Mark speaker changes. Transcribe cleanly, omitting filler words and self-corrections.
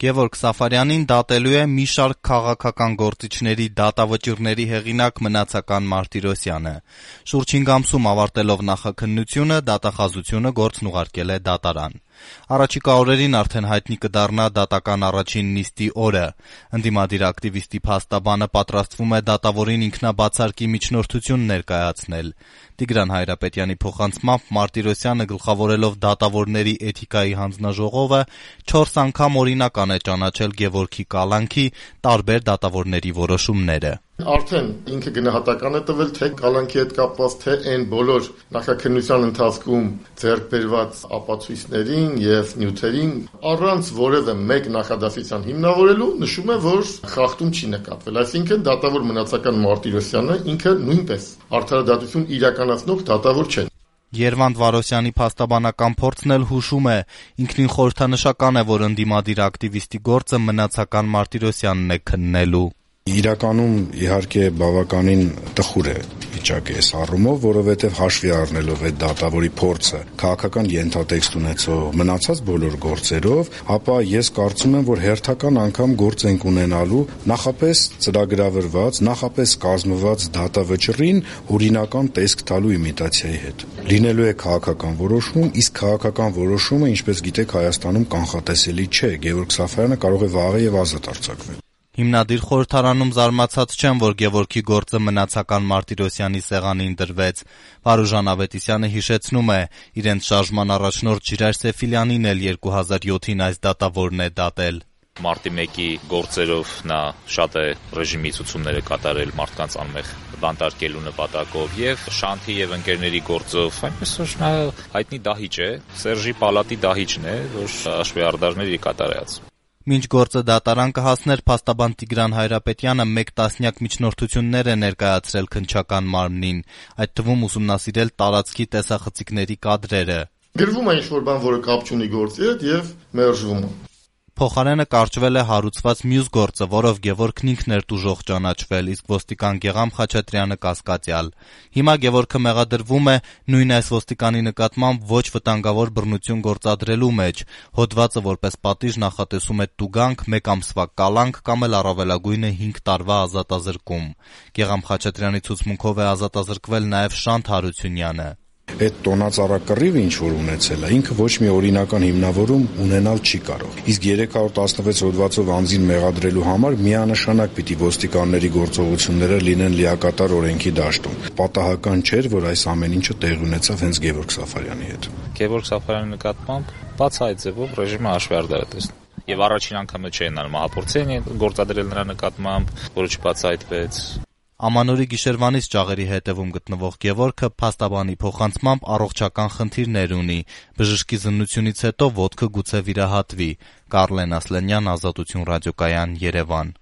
Speaker 1: Գևորգ Սաֆարյանին դատելու է մի շարք քաղաքական գործիչների դատավճիռների հեղինակ Մնացական Մարտիրոսյանը։ Շուրջ 5 ամսում ավարտելով նախաքննությունը, դատախազությունը գործն ուղարկել է դատարան։ Առաջիկա օրերին արդեն հայտնի կդառնա դատական առաջին նիստի օրը։ Ընդդիմադիր ակտիվիստի փաստաբանը պատրաստվում է դատավորին ինքնաբացարկի միջնորդություն ներկայացնել։ Տիգրան Հայրապետյանի փոխանցմամբ Մարտիրոսյանը գլխավորելով դատավորների էթիկայի հանձնաժողովը 4 անգամ օրինական է ճանաչել Գևորգի կալանքի տարբեր դատավորների որոշումները։
Speaker 2: Արդեն ինքը գնահատական է տվել թե կալանքի հետ կապված, թե այն բոլոր նախաքննության ընթացքում ձեռք բերված ապացույցներին եւ նյութերին առանց որևէ մեկ նախադասության հիմնավորելու նշում է, որ խախտում չի նկատվել։ Այսինքն դատավոր Մնացական Մարտիրոսյանը ինքը նույնպես արդարադատություն իրականացնող դատավոր չէ։
Speaker 1: Երվանդ Վարոսյանի փաստաբանական փորձն էլ հուշում է, ինքնին խորհրդանշական է, որ ընդդիմադիր ակտիվիստի գործը Մնացական Մարտիրոսյանն է քննելու։
Speaker 3: Իրականում իհարկե բավականին տխուր է վիճակը այս առումով, որովհետև հաշվի առնելով այդ դատավորի փորձը քաղաքական ենթատեքստ ունեցող մնացած բոլոր գործերով, ապա ես կարծում եմ, որ հերթական անգամ գործ ենք ունենալու նախապես ծրագրավորված, նախապես կազմված դատավճռին օրինական տեսք տալու իմիտացիայի հետ։ Լինելու է քաղաքական որոշում, իսկ քաղաքական որոշումը, ինչպես գիտեք, Հայաստանում կանխատեսելի չէ։ Գևորգ Սաֆարյանը կարող է վաղը եւ ազատ արձակվել։
Speaker 1: Հիմնադիր խորհրդարանում զարմացած չեն, որ Գևորգի գործը Մնացական Մարտիրոսյանի սեղանին դրվեց։ Վարուժան Ավետիսյանը հիշեցնում է, իրենց շարժման առաջնորդ Ժիրայր Սեֆիլյանին էլ 2007-ին այս դատավորն է դատել։
Speaker 4: Մարտի 1-ի գործերով նա շատ է ռեժիմի ցուցումները կատարել մարդկանց անմեղ բանտարկելու նպատակով եւ Շանթի եւ ընկերների գործով, այնպես որ նա հայտնի դահիճ է, Սերժի պալատի դահիճն է, որ աշխարհարդարների կատարած։
Speaker 1: Մինչ գործը դատարան կհասներ, փաստաբան Տիգրան Հայրապետյանը 1 տասնյակ միջնորդություններ է ներկայացրել քննչական մարմնին, այդ թվում ուսումնասիրել տարածքի տեսախցիկների կադրերը։
Speaker 2: Գրվում է ինչ-որ բան, որը կապ չունի գործի հետ եւ մերժվում է։
Speaker 1: Փոխարենը կարճվել է հարուցված մյուս գործը, որով Գևորգն ինքն էր տուժող ճանաչվել, իսկ ոստիկան Գեգամ Խաչատրյանը կասկածյալ։ Հիմա Գևորգը մեղադրվում է նույն այս ոստիկանի նկատմամբ ոչ վտանգավոր բռնություն գործադրելու մեջ։ Հոդվածը որպես պատիժ նախատեսում է տուգանք, 1 ամսվա կալանք կամ էլ առավելագույնը 5 տարվա ազատազրկում։ Գեգամ Խաչատրյանի ցուցմունքով է ազատազրկվել նաև Շանթ Հարությունյանը։
Speaker 3: Այդ տոնածառակռիվը ինչ որ ունեցել է, ինքը ոչ մի օրինական հիմնավորում ունենալ չի կարող։ Իսկ 316 հոդվածով անձին մեղադրելու համար միանշանակ պիտի ոստիկանների գործողությունները լինեն լիակատար օրենքի դաշտում։ Պատահական չէր, որ այս ամեն ինչը տեղի ունեցավ հենց Գևորգ Սաֆարյանի հետ։
Speaker 4: Գևորգ Սաֆարյանի նկատմամբ բացահայտ ձևով ռեժիմը հաշվարկներ է տեսնում։ Եվ առաջին անգամը չէ նա մահապորցի գործադրել նրա նկատմամբ, որը չբացահայտվեց։
Speaker 1: Ամանորի գիշերվանից ճաղերի հետևում գտնվող Գևորգը փաստաբանի փոխանցմամբ առողջական խնդիրներ ունի։ Բժշկի զննությունից հետո ոտքը գուցե վիրահատվի։ Կարլեն Ասլանյան, Ազատություն ռադիոկայան, Երևան։